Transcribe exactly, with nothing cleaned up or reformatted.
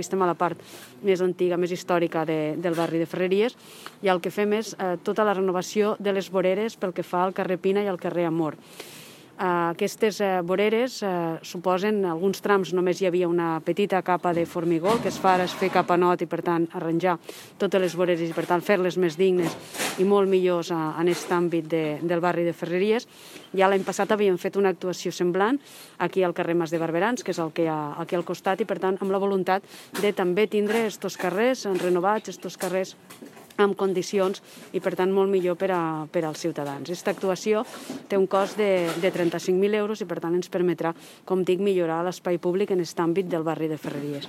Estem a la part més antiga, més històrica de, del barri de Ferreries, i el que fem és eh, tota la renovació de les voreres pel que fa al carrer Pina i al carrer Amor. Eh, aquestes eh, voreres eh, suposen, en alguns trams només hi havia una petita capa de formigó, el que es fa ara és fer capa not i per tant arranjar totes les voreres i per tant fer-les més dignes i molt millors eh, en aquest àmbit de, del barri de Ferreries. Ja l'any passat havíem fet una actuació semblant aquí al carrer Mas de Barberans, que és el que hi ha aquí al costat, i per tant amb la voluntat de també tindre estos carrers renovats, estos carrers amb condicions i per tant molt millor per, a, per als ciutadans. Aquesta actuació té un cost de, de trenta-cinc mil euros i per tant ens permetrà, com dic, millorar l'espai públic en aquest àmbit del barri de Ferreries.